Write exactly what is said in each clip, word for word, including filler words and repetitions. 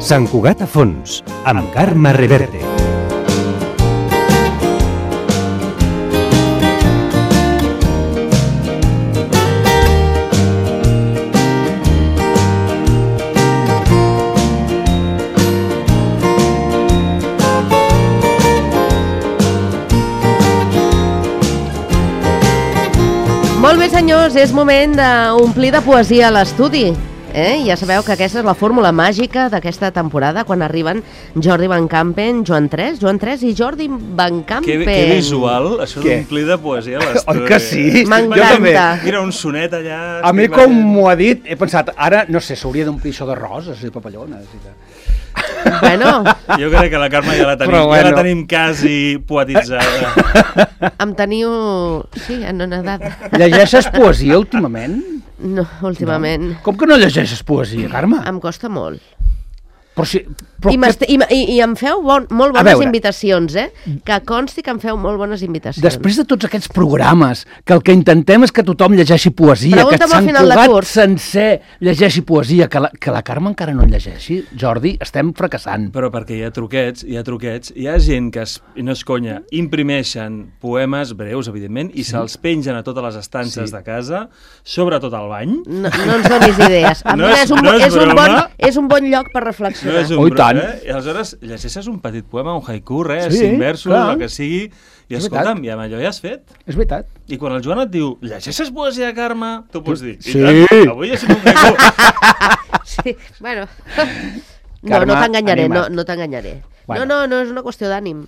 Sant Cugat a fons, amb Carme Reverte. Molt bé, senyors, és moment d'omplir de poesia a l'estudi. Eh? Ja sabeu que aquesta és la fórmula màgica d'aquesta temporada, quan arriben Jordi Van Campen, Joan Tres, Joan Tres i Jordi Van Campen. Que, que visual, això d'omplir de poesia a l'estudi. Oi que sí? M'encanta. Mira, un sonet allà... A mi, com m'ho ha dit, he pensat, ara, no sé, s'hauria d'omplir això de roses i papallones i de... Bueno. Jo crec que la Carme ja la tenim, bueno. ja la tenim quasi poetitzada. Em teniu... Sí, en una edat. Llegeixes poesia últimament? No, últimament. No. Com que no llegeixes poesia, Carme? Em costa molt. Però si, però I, que... i, i, I em feu bon, molt bones invitacions, eh? Que consti que em feu molt bones invitacions. Després de tots aquests programes, que el que intentem és que tothom llegeixi poesia, Pregunta'm que Sant Cugat curs. sencer llegeixi poesia, que la, que la Carme encara no en llegeixi, Jordi, estem fracassant. Però perquè hi ha truquets, hi ha truquets, hi ha gent que, es, i no és conya, imprimeixen poemes breus, evidentment, i sí. se'ls pengen a totes les estances sí. de casa, sobretot al bany. No, no ens donis idees. No és, és, un, no és, és, un bon, és un bon lloc per reflexionar. No és un oh, brot, eh? I aleshores llegeixes un petit poema, un haiku, res, sí, cinc versos, clar. el que sigui, i és escolta'm, i amb allò ja has fet. És veritat. I quan el Joan et diu, llegeixes poesia, Carme? Tu pots dir, sí. i tant, avui llegim un haiku. Sí, bueno... No, Carme, no t'enganyaré, no, anima't. no t'enganyaré. Bueno. No, no, no és una qüestió d'ànim.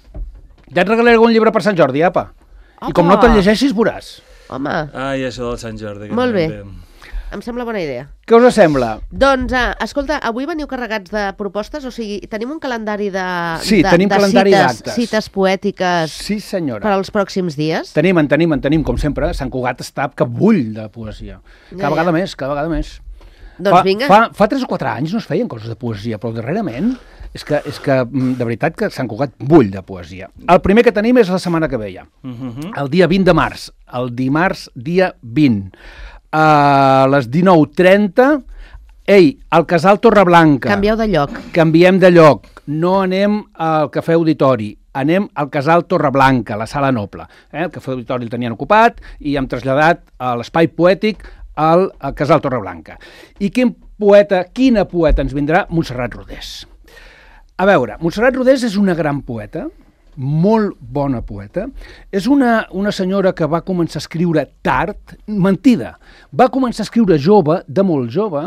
Ja et regalaré algun llibre per Sant Jordi, apa. Apa. I com no te'l llegeixis, veuràs. Home, Ai, això del Sant Jordi. Que molt no bé. entenc. Em sembla bona idea. Què us sembla? Doncs, eh, escolta, avui veniu carregats de propostes, o sigui, tenim un calendari de, Sí, de, tenim de calendari cites, d'actes. cites poètiques Sí, senyora. per als pròxims dies. Tenim, en tenim, en tenim, com sempre. Sant Cugat està que bull de poesia. Cada Ja, vegada ja. més, cada vegada més. Doncs fa, vinga. Fa, fa tres o quatre anys no es feien coses de poesia, però darrerament és que, és que de veritat que Sant Cugat bull de poesia. El primer que tenim és la setmana que ve ja. Uh-huh. El dia vint de març, el dimarts dia vint. A les dinou trenta, ei, al Casal Torreblanca. Canvieu de lloc. Canviem de lloc. No anem al Cafè Auditori, anem al Casal Torreblanca, la Sala Noble. Eh? El Cafè Auditori el tenien ocupat i hem traslladat a l'espai poètic al, al Casal Torreblanca. I quin poeta, quina poeta ens vindrà? Montserrat Rodés. A veure, Montserrat Rodés és una gran poeta, molt bona poeta. És una, una senyora que va començar a escriure tard, mentida. Va començar a escriure jove, de molt jove,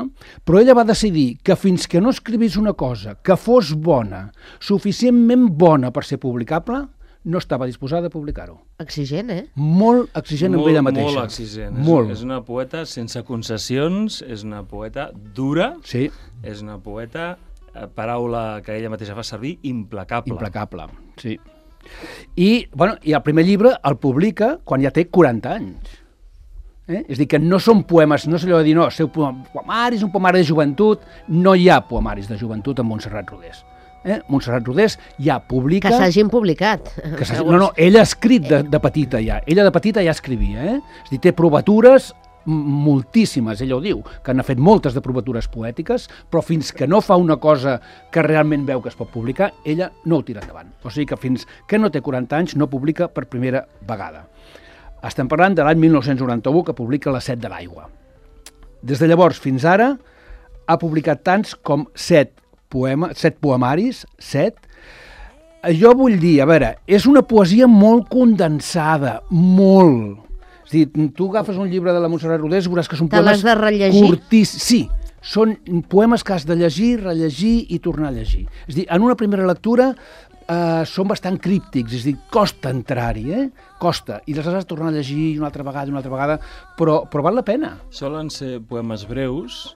però ella va decidir que fins que no escrivís una cosa que fos bona, suficientment bona per ser publicable, no estava disposada a publicar-ho. Exigent, eh? Molt exigent molt, amb ella mateixa. Molt exigent. Molt. És, és una poeta sense concessions, és una poeta dura, Sí. és una poeta, eh, paraula que ella mateixa fa servir, implacable. Implacable, sí. I, bueno, i el primer llibre el publica quan ja té quaranta anys. Eh? És a dir, que no són poemes, no és allò de dir, no, seu poemari és un poemari de joventut, no hi ha poemaris de joventut amb Montserrat Rodés. Eh? Montserrat Rodés ja publica... Que s'hagin publicat. Que no, no, ella ha escrit de, de petita ja, ella de petita ja escrivia, eh? És a dir, té provatures moltíssimes, ella ho diu, que n'ha fet moltes de provatures poètiques, però fins que no fa una cosa que realment veu que es pot publicar, ella no ho tira endavant. O sigui que fins que no té quaranta anys no publica per primera vegada. Estem parlant de l'any mil nou-cents noranta-u, que publica La set de l'aigua. Des de llavors fins ara ha publicat tants com set, poema, set poemaris, set. Jo vull dir, a veure, és una poesia molt condensada, molt... És a dir, tu agafes un llibre de la Montserrat Rodés i veuràs que són Te poemes l'has de rellegir? curtíssims. Sí, són poemes que has de llegir, rellegir i tornar a llegir. És a dir, en una primera lectura eh, són bastant críptics, és a dir, costa entrar-hi, eh? Costa. I les has de tornar a llegir una altra vegada, una altra vegada, però, però val la pena. Solen ser poemes breus,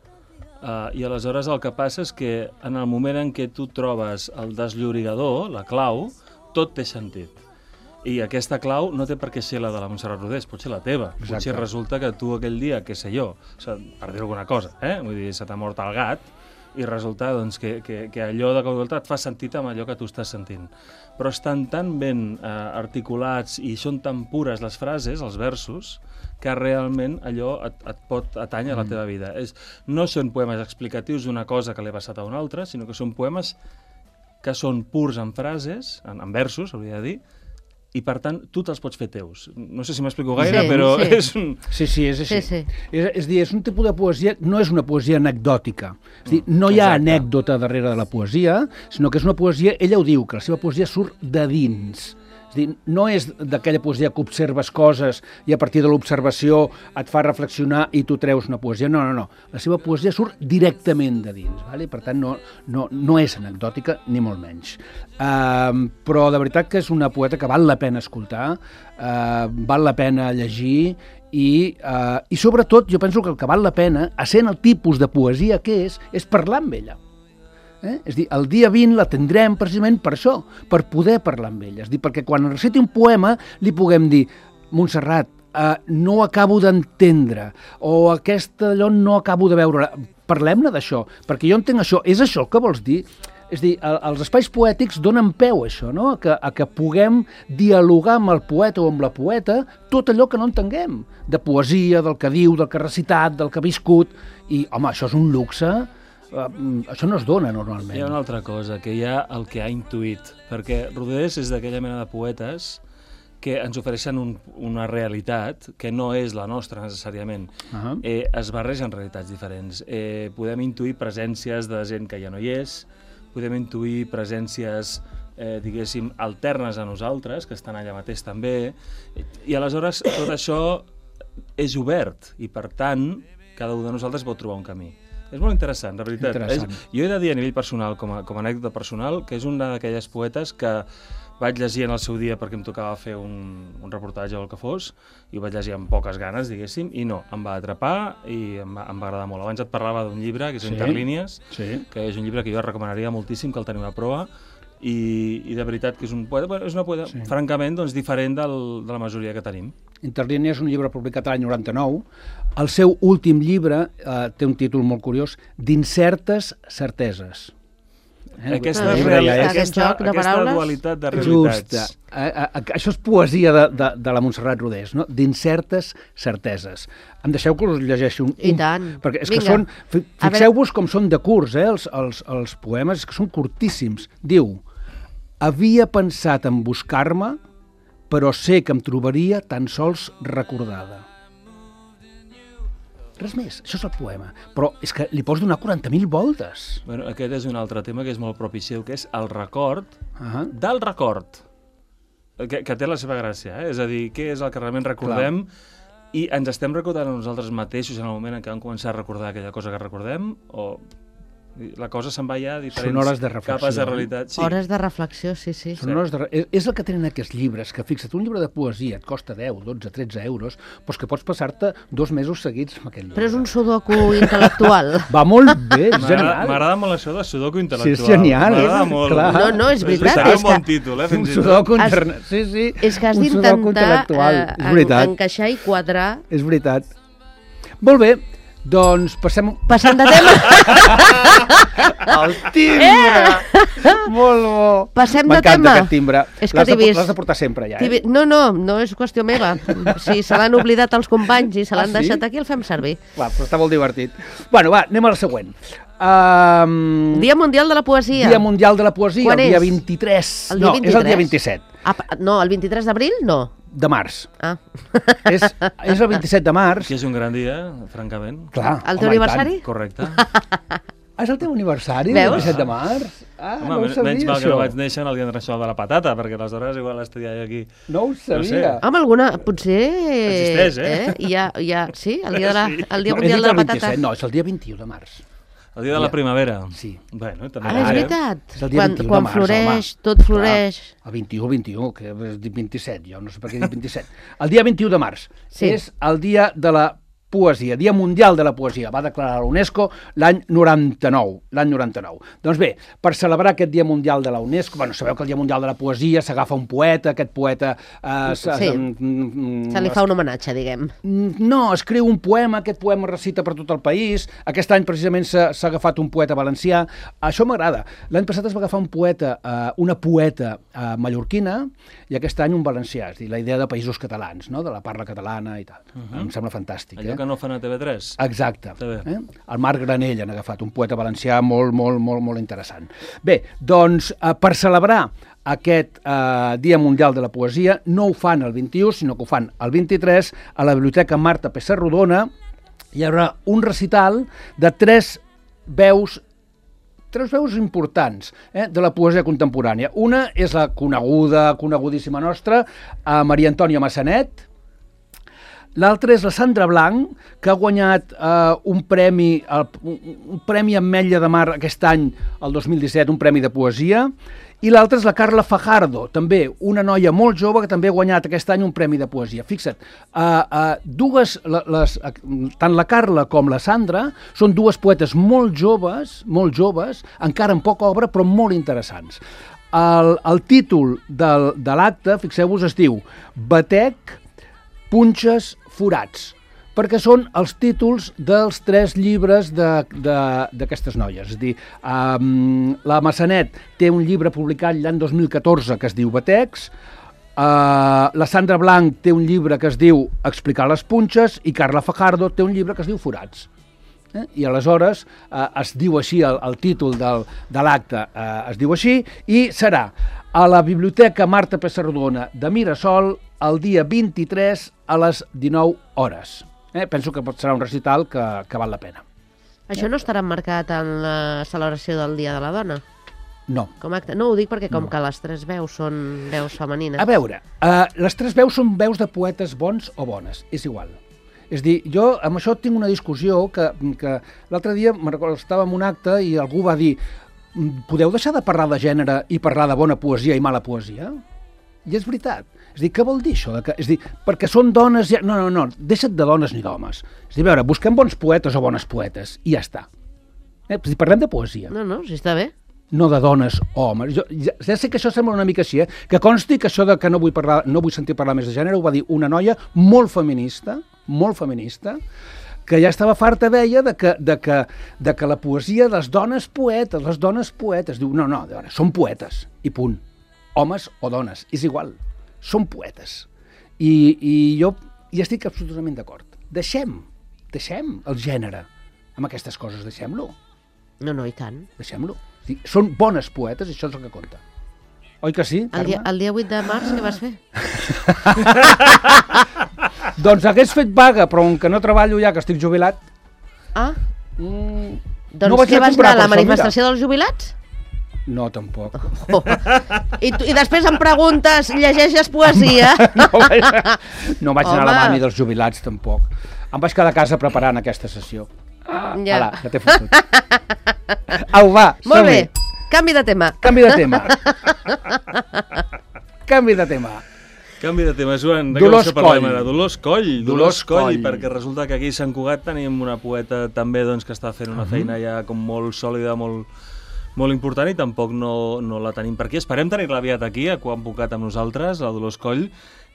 Uh, i aleshores el que passa és que en el moment en què tu trobes el desllorigador, la clau, tot té sentit. I aquesta clau no té per què ser la de la Montserrat Rodés, pot ser la teva. Exacte. Potser resulta que tu aquell dia, què sé jo, o sigui, per dir alguna cosa, eh? Vull dir, se t'ha mort el gat i resulta doncs, que, que, que allò de cop i volta et fa sentit amb allò que tu estàs sentint. Però estan tan ben eh, articulats i són tan pures les frases, els versos, que realment allò et, et pot atanyar a la teva vida. És, no són poemes explicatius d'una cosa que li ha passat a una altra, sinó que són poemes que són purs en frases, en, en versos, hauria de dir, i per tant tu te'ls pots fer teus. No sé si m'explico gaire, Sí, però sí. és un... Sí, sí, és així. Sí, sí. És, és dir, és un tipus de poesia, no és una poesia anecdòtica. És dir, no hi ha Exacte. anècdota darrere de la poesia, sinó que és una poesia, ella ho diu, que la seva poesia surt de dins. És dir, no és d'aquella poesia que observes coses i a partir de l'observació et fa reflexionar i tu treus una poesia. No, no, no. La seva poesia surt directament de dins. Vale? Per tant, no, no, no és anecdòtica, ni molt menys. Uh, però de veritat que és una poeta que val la pena escoltar, uh, val la pena llegir i, uh, i sobretot jo penso que el que val la pena, essent el tipus de poesia que és, és parlar amb ella. Eh? És dir, el dia vint la tindrem precisament per això, per poder parlar amb ella. És dir, perquè quan reciti un poema li puguem dir Montserrat, eh, no acabo d'entendre, o aquesta allò no acabo de veure. Parlem-ne d'això, perquè jo entenc això. És això el que vols dir? És dir, els espais poètics donen peu a això, no? a, que, a que puguem dialogar amb el poeta o amb la poeta tot allò que no entenguem, de poesia, del que diu, del que ha recitat, del que ha viscut, i home, això és un luxe. Uh, això no es dona normalment. Hi ha una altra cosa, que hi ha el que ha intuït, perquè Rodés és d'aquella mena de poetes que ens ofereixen un, una realitat que no és la nostra necessàriament. Uh-huh. eh, es barregen realitats diferents. Eh, podem intuir presències de gent que ja no hi és, podem intuir presències eh, diguéssim, alternes a nosaltres, que estan allà mateix també, i aleshores tot això és obert, i per tant cada un de nosaltres pot trobar un camí. És molt interessant, de veritat. Interessant. És, jo he de dir a nivell personal, com a, com a anècdota personal, que és una d'aquelles poetes que vaig llegir en el seu dia perquè em tocava fer un, un reportatge o el que fos, i ho vaig llegir amb poques ganes, diguéssim, i no, em va atrapar i em va, em va agradar molt. Abans et parlava d'un llibre, que és Sí. Interlínies, Sí. que és un llibre que jo recomanaria moltíssim, que el teniu a prova, i, i de veritat que és un poeta, bueno, és una poeta Sí. francament doncs, diferent del, de la majoria que tenim. Interlínia és un llibre publicat l'any noranta-nou. El seu últim llibre eh, té un títol molt curiós, d'Incertes certeses. Eh? Aquesta, Ah, real, ja és. aquesta, Aquest joc de aquesta paraules. dualitat de Just. realitats. Eh, eh, això és poesia de, de, de la Montserrat Rodés, no? D'incertes certeses. Em deixeu que us llegeixi un... I un- tant. Perquè és que Vinga. són... fi- A Fixeu-vos com són de curts, eh, els, els, els poemes, és que són curtíssims. Diu, havia pensat en buscar-me, però sé que em trobaria tan sols recordada. Res més, això és el poema. Però és que li pots donar quaranta mil voltes. Bueno, aquest és un altre tema que és molt propi seu, que és el record Ah, del record, que, que té la seva gràcia, eh? És a dir, què és el que realment recordem i ens estem recordant a nosaltres mateixos en el moment en què vam començar a recordar aquella cosa que recordem, o la cosa se'n va ja a diferents Són hores de reflexió, capes de eh? realitat. Sí. Hores de reflexió, sí, sí. Són hores de... és, és el que tenen aquests llibres, que fixa't, un llibre de poesia et costa deu, dotze, tretze euros, doncs que pots passar-te dos mesos seguits amb aquest llibre. Però és un sudoku intel·lectual. Va molt bé, és M'agrada genial. m'agrada molt això de sudoku Sí, intel·lectual. és genial. M'agrada És- molt. clar. No, no, és veritat, Seria és un bon que- títol, eh? Un Fins i tot. sudoku Has- internet. Sí, sí. És que has Un sudoku d'intentar intel·lectual. eh, És veritat, encaixar i quadrar. és veritat. Molt bé, doncs passem... Passant de tema, El timbre! Molt bo! Passem de M'encanta tema. aquest timbre. És que L'has de, t'he vist. l'has de portar sempre, ja, T'hi eh? ve- no, no, no és qüestió meva. Si se l'han oblidat els companys i se l'han Ah, sí? deixat aquí, el fem servir. Va, però està molt divertit. Bueno, va, anem a la següent. Um, Dia Mundial de la Poesia. Dia Mundial de la Poesia, Quan el dia és? vint-i-tres. El dia no, és el dia vint-i-tres? vint-i-set Ah, pa- no, el vint-i-tres d'abril no. de març. Ah. És, és el vint-i-set de març. Que és un gran dia, francament. Clar, El teu home, i aniversari? Correcte. tant. Ah, és el teu aniversari, Veus? el vint-i-set de març? Ah, Home, no ho men- sabia, menys mal que això. no vaig néixer en el Dia Internacional de la Patata, perquè aleshores igual estaria aquí. No ho sabia. No sé. Home, alguna... Potser... Existeix, eh? eh? Hi ha, hi ha, sí, el dia, de la, Sí. el dia No, és Mundial el de la dia Patata. vint-i-set, no, és el dia vint-i-u de març. El dia de la Ja. primavera. Sí. Bueno, també Ah, és ara. veritat. És el dia Quan, vint-i-u de quan març, floreix, home. tot floreix. Clar, el vint-i-u, vint-i-u, que és dit vint-i-set, jo no sé per què dic vint-i-set. El dia vint-i-u de març Sí. és el dia de la poesia, Dia Mundial de la Poesia. Va declarar la UNESCO l'any noranta-nou. L'any noranta-nou. Doncs bé, per celebrar aquest Dia Mundial de la UNESCO, bueno, sabeu que el Dia Mundial de la Poesia s'agafa un poeta, aquest poeta... Eh, sí, se li fa un homenatge, diguem. No, escriu un poema, aquest poema recita per tot el país. Aquest any precisament s'ha agafat un poeta valencià. Això m'agrada. L'any passat es va agafar un poeta, eh, una poeta eh, mallorquina, i aquest any un valencià, és a dir, la idea de països catalans, no? De la parla catalana i tal. Uh-huh. Em sembla fantàstic. Allò eh? que no fan a T V tres. Exacte. Eh? El Marc Granell han agafat, un poeta valencià molt, molt, molt, molt interessant. Bé, doncs, eh, per celebrar aquest eh, Dia Mundial de la Poesia, no ho fan el vint-i-u, sinó que ho fan el vint-i-tres, a la Biblioteca Marta Pessarrodona. Hi haurà un recital de tres veus tres veus importants eh, de la poesia contemporània. Una és la coneguda, conegudíssima nostra, eh, Maria Antònia Massanet. L'altra és la Sandra Blanc, que ha guanyat eh, un premi, el, un premi Ametlla de Mar aquest any, el dos mil disset, un premi de poesia. I l'altra és la Carla Fajardo, també una noia molt jove que també ha guanyat aquest any un premi de poesia. Fixa't, uh, uh, dues, les, uh, tant la Carla com la Sandra són dues poetes molt joves, molt joves, encara amb poca obra, però molt interessants. El, el títol del, de l'acte, fixeu-vos, es diu Batec, Punxes, Forats, perquè són els títols dels tres llibres d'aquestes noies. És a dir, um, la Massanet té un llibre publicat l'any dos mil catorze que es diu Batecs, uh, la Sandra Blanc té un llibre que es diu Explicar les punxes i Carla Fajardo té un llibre que es diu Forats. Eh? I aleshores eh, es diu així, el, el títol del, de l'acte eh, es diu així, i serà a la Biblioteca Marta Pessarrodona de Mirasol el dia vint-i-tres a les dinou hores. Eh? Penso que pot serà un recital que, que val la pena. Això no estarà marcat en la celebració del Dia de la Dona? No. Com acte? No, ho dic perquè com No. que les tres veus són veus femenines. A veure, eh, les tres veus són veus de poetes bons o bones, és igual. És dir, jo amb això tinc una discussió que, que l'altre dia me'n recordo, estava en un acte i algú va dir podeu deixar de parlar de gènere i parlar de bona poesia i mala poesia? I és veritat. És dir, què vol dir això? De que, és dir, perquè són dones... Ja... No, no, no, deixa't de dones ni d'homes. És dir, a veure, busquem bons poetes o bones poetes i ja està. Eh? És dir, parlem de poesia. No, no, si està bé. No de dones o homes. Jo, ja, ja sé que això sembla una mica així, eh? Que consti que això de que no vull, parlar, no vull sentir parlar més de gènere ho va dir una noia molt feminista, molt feminista, que ja estava farta, deia, de que, de que, de que la poesia de les dones poetes, les dones poetes, diu, no, no, de veure, són poetes, i punt. Homes o dones, és igual, són poetes. I, i jo hi estic absolutament d'acord. Deixem, deixem el gènere amb aquestes coses, deixem-lo. No, no, i tant. Deixem-lo. Són bones poetes, això és el que compta. Oi que sí, El dia, Carme? el dia vuit de març què vas fer? Doncs hagués fet vaga, però com que no treballo ja, que estic jubilat... Ah, Mm, doncs no vaig què anar a vas comprar anar a la per això, manifestació dels jubilats? No, tampoc. Oh. I, tu, I després em preguntes, llegeixes poesia? No vaig, no vaig anar a la Home. mani dels jubilats, tampoc. Em vaig quedar a casa preparant aquesta sessió. Ja. Ala, que t'he fotut. Au, va, Molt som-hi. bé, canvi de tema. Canvi de tema. Canvi de tema. Canvi de tema, Joan. De Dolors què parlem Coll. ara? Dolors Coll. Dolors Dolors Coll, Coll. perquè resulta que aquí a Sant Cugat tenim una poeta també doncs, que està fent una Mhm. feina ja com molt sòlida, molt, molt important, i tampoc no, no la tenim per aquí. Esperem tenir-la aviat aquí, a Quan Pucat amb nosaltres, la Dolors Coll.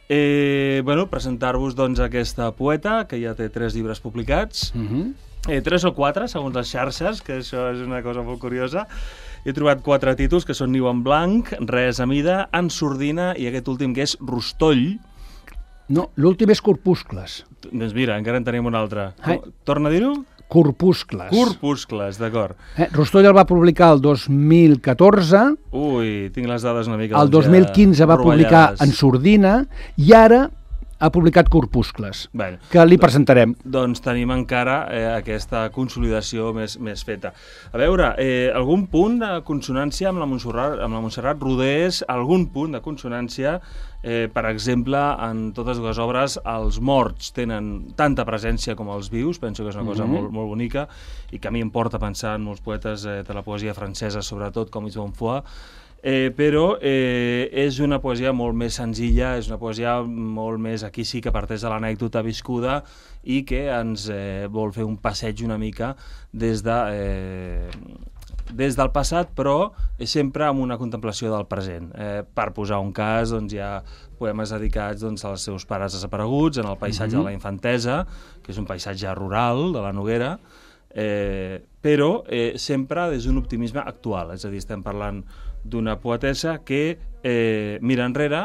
Eh, bueno, presentar-vos doncs, aquesta poeta, que ja té tres llibres publicats, Mhm. eh, tres o quatre, segons les xarxes, que això és una cosa molt curiosa. He trobat quatre títols, que són Niu en blanc, Res a mida, En sordina i aquest últim, que és Rostoll. No, l'últim és Corpuscles. Doncs mira, encara en tenim un altre. Ai. Torna a dir-ho? Corpuscles. Corpuscles, d'acord. Eh, Rostoll el va publicar el dos mil catorze, Ui, tinc les dades una mica... el doncs, dos mil quinze va publicar rovellades. En sordina i ara ha publicat Corpuscles, Bé, que li presentarem. doncs tenim encara eh, aquesta consolidació més, més feta. A veure, eh, algun punt de consonància amb la Montserrat, amb la Montserrat Rodés, algun punt de consonància, eh, per exemple, en totes dues obres, els morts tenen tanta presència com els vius, penso que és una cosa Mhm. molt, molt bonica, i que a mi em porta a pensar en molts poetes eh, de la poesia francesa, sobretot, com Yves Bonfoy. Eh, però eh, és una poesia molt més senzilla, és una poesia molt més, aquí sí que parteix de l'anècdota viscuda i que ens eh, vol fer un passeig una mica des de... Eh, des del passat, però sempre amb una contemplació del present. Eh, per posar un cas, doncs, hi ha poemes dedicats doncs, als seus pares desapareguts, en el paisatge mm-hmm. de la infantesa, que és un paisatge rural de la Noguera, eh, però eh, sempre des d'un optimisme actual. És a dir, estem parlant d'una poetessa que eh, mira enrere,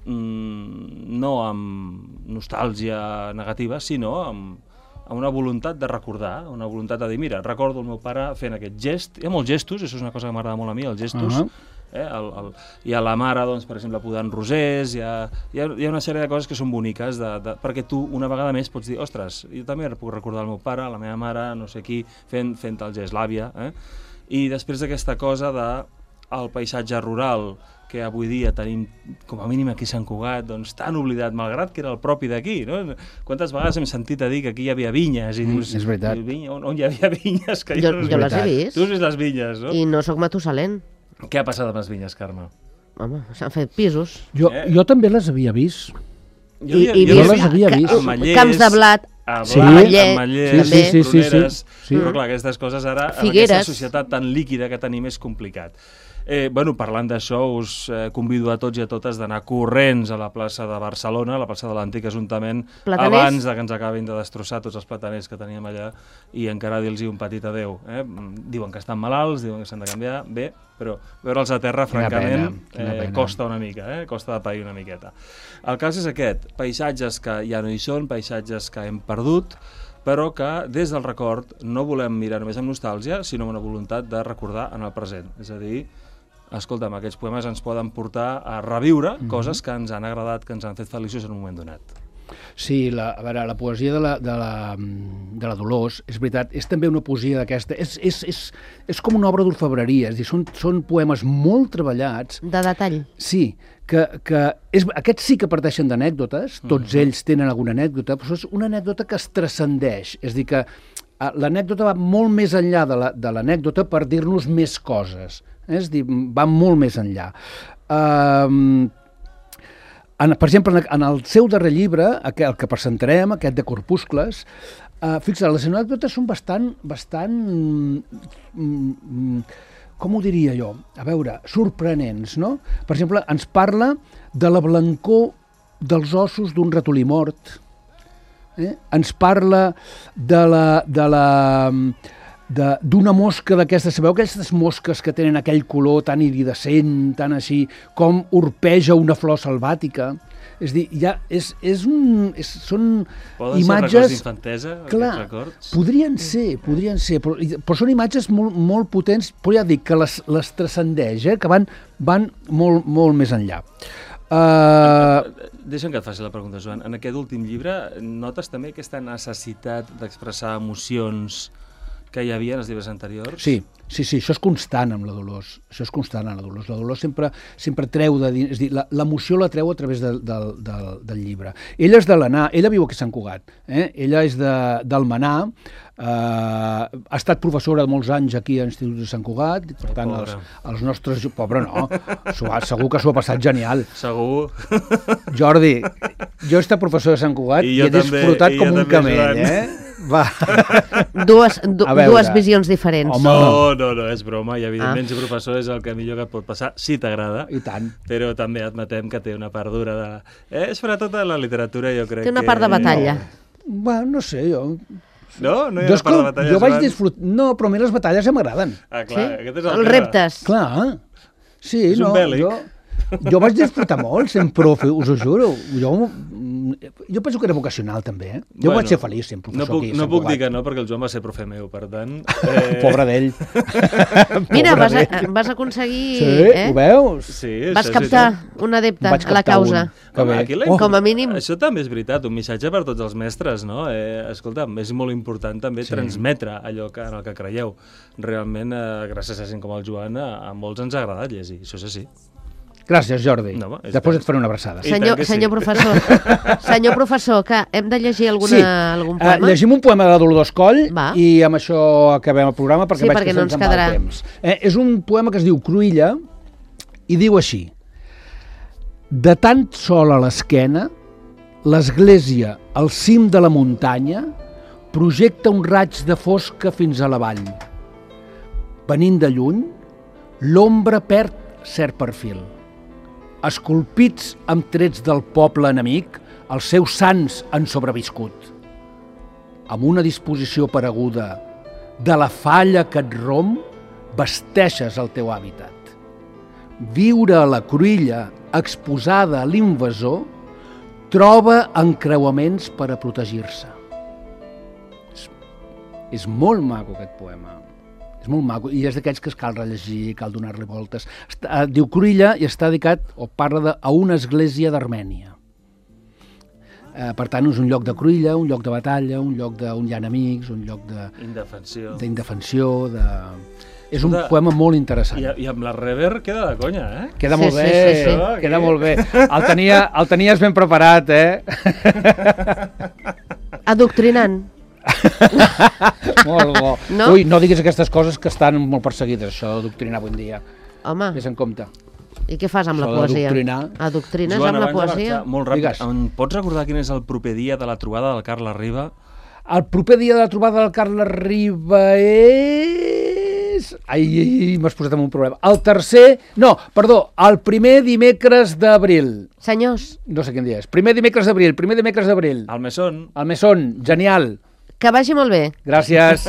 mmm, no amb nostàlgia negativa, sinó amb amb una voluntat de recordar, una voluntat de dir, mira, recordo el meu pare fent aquest gest. Hi ha molts gestos, això és una cosa que m'agrada molt a mi, els gestos. Uh-huh. eh? el, el, hi ha la mare, doncs, per exemple, podant rosers, hi ha, hi ha, hi ha una sèrie de coses que són boniques, de, de, perquè tu una vegada més pots dir, ostres, jo també puc recordar el meu pare, la meva mare, no sé qui, fent, fent el gest, l'àvia. Eh? I després d'aquesta cosa de el paisatge rural, que avui dia tenim, com a mínim aquí a Sant Cugat, doncs tan oblidat, malgrat que era el propi d'aquí, no? Quantes vegades hem sentit a dir que aquí hi havia vinyes, i dius, mm, és veritat. Vinya, on, on hi havia vinyes? Que jo jo, no jo les he vist. Tu has vist les vinyes, no? I no sóc Matusalén. Què ha passat amb les vinyes, Carme? Home, s'han fet pisos. Jo, Eh? jo també les havia vist. Jo, I, i jo, jo les havia vist. Ametllers, camps de blat, a Sí. blat, Ametller, ametllers, també. Sí, sí, sí, sí, pruneres, sí. però clar, aquestes coses ara, en Figueres. aquesta societat tan líquida que tenim, és complicat. Eh, bueno, parlant d'això, us eh, convido a tots i a totes d'anar corrents a la plaça de Barcelona, a la plaça de l'Antic Ajuntament, Plataners? abans de que ens acabin de destrossar tots els plataners que teníem allà i encara dir-los un petit adeu. Eh? Diuen que estan malalts, diuen que s'han de canviar, bé, però veure'ls a terra, Quina francament, pena, quina eh, pena. costa una mica, eh? costa de pair una miqueta. El cas és aquest, paisatges que ja no hi són, paisatges que hem perdut, però que des del record no volem mirar només amb nostàlgia, sinó amb una voluntat de recordar en el present. És a dir, escolta'm, aquests poemes ens poden portar a reviure mm-hmm. coses que ens han agradat, que ens han fet feliços en un moment donat. Sí, la, a veure, la poesia de la, de, la, de la Dolors, és veritat, és també una poesia d'aquesta, és, és, és, és com una obra d'orfebreria, és a dir, són, són poemes molt treballats. de detall. Sí, que, que és, aquests sí que parteixen d'anècdotes, tots mm-hmm. ells tenen alguna anècdota, però és una anècdota que es transcendeix, és a dir, que l'anècdota va molt més enllà de l'anècdota per dir-nos més coses, eh? És a dir, va molt més enllà. Uh, en, per exemple, en el seu darrer llibre, el que presentarem, aquest de Corpuscles, uh, fixa't, les anècdotes són bastant, bastant mm, com ho diria jo? A veure, sorprenents, no? Per exemple, ens parla de la blancor dels ossos d'un ratolí mort, eh? Ens parla de la... De la d'una mosca d'aquestes, sabeu aquestes mosques que tenen aquell color tan iridescent, tan així, com orpeja una flor selvàtica? És a dir, ja és, és un, és, són Poden imatges... ser records d'infantesa, clar, aquests records? podrien ser, podrien ser, però, però són imatges molt, molt potents, però ja dic que les, les transcendeix, eh, que van, van molt, molt més enllà. Uh... Deixa'm que et faci la pregunta, Joan. En aquest últim llibre notes també aquesta necessitat d'expressar emocions que hi havia en els llibres anteriors? Sí, sí, sí, això és constant amb la Dolors, això és constant amb la Dolors. La Dolors sempre, sempre treu de dins, és a dir, l'emoció la treu a través de, de, de, del llibre. Ella és de l'Anà, ella viu aquí a Sant Cugat, eh? Ella és de, del Manà, eh, ha estat professora de molts anys aquí a l'Institut de Sant Cugat, per tant, els, els nostres... Pobre no, ha, segur que s'ho ha passat genial. Segur. Jordi, jo he estat professor de Sant Cugat i, i he també, disfrutat com un camell, Joan. eh? Va. Dues, du, dues visions diferents. Home. No, no, no, és broma, i evidentment ah. ser professor és el que millor que et pot passar, si t'agrada. I tant. Però també admetem que té una part dura de... Eh, és sobretot la literatura, jo crec que... Té una part de batalla. No. Bueno, no sé, jo... No? No hi ha jo una part de batalla? Jo vaig disfrutar... No, però a mi les batalles ja m'agraden. Ah, clar, sí? aquest és el Els tema. reptes. Clar, sí, és no, un bèl·lic. jo... Jo vaig disfrutar molt, sent profe, us ho juro. Jo, jo penso que era vocacional, també. Eh? Jo bueno, vaig ser feliç sent professor no puc, aquí a No Sant puc Cugat. dir que no, perquè el Joan va ser profe meu, per tant... Eh... Pobre d'ell. Mira, vas, a, vas aconseguir... Sí, eh? ho veus? Sí, vas això, captar sí, sí. un adepte Vaig a la captar causa. un. Que Home, bé. aquí la... Oh. Com a mínim. Això també és veritat, un missatge per tots els mestres, no? Eh, escolta'm, és molt important també Sí. transmetre allò que, en el que creieu. Realment, eh, gràcies a gent com el Joan, a, a molts ens ha agradat llegir, això és així. Gràcies, Jordi. No, Després et faré una abraçada. I Senyor, tant que sí. senyor professor, senyor professor, que hem de llegir alguna, Sí. algun Uh, poema? llegim un poema de la Dolors Coll Va. i amb això acabem el programa perquè Sí, veig perquè que no se'ns ens en va el quedarà. temps. Eh, és un poema que es diu Cruïlla i diu així: de tant sol a l'esquena, l'església al cim de la muntanya projecta un raig de fosca fins a la vall. Venint de lluny, l'ombra perd cert perfil. Esculpits amb trets del poble enemic, els seus sants han sobreviscut. Amb una disposició pareguda de la falla que et romp, vesteixes el teu hàbitat. Viure a la cruïlla exposada a l'invasor troba encreuaments per a protegir-se. És, és molt maco aquest poema. És molt maco, i és d'aquests que es cal rellegir, cal donar-li voltes. Està, diu Cruïlla i està dedicat, o parla de, a una església d'Armènia. Eh, per tant, és un lloc de cruïlla, un lloc de batalla, un lloc de, on hi ha enemics, un lloc de... Indefensió. D'indefensió, de... És un De... poema molt interessant. I, I amb la rever queda de conya, eh? Queda Sí, molt sí, bé, sí, sí. queda molt bé. El, tenia, el tenies ben preparat, eh? Adoctrinant. Molt bo. No? Ui, no diguis aquestes coses que estan molt perseguides, això d'adoctrinar avui en dia. Home, Ves en compte. i què fas amb la Això poesia? d'adoctrinar. Adoctrines Joan, amb la abans de poesia? marxar, molt ràpid, Digues. em pots recordar quin és el proper dia de la trobada del Carles Riba? El proper dia de la trobada del Carles Riba és... Ai, ai, ai m'has posat en un problema. El tercer... No, perdó, el primer dimecres d'abril. Senyors, No sé quin dia és. Primer dimecres d'abril, primer dimecres d'abril. Al Mesón. Al Mesón, genial. que vagi molt bé. Gràcies.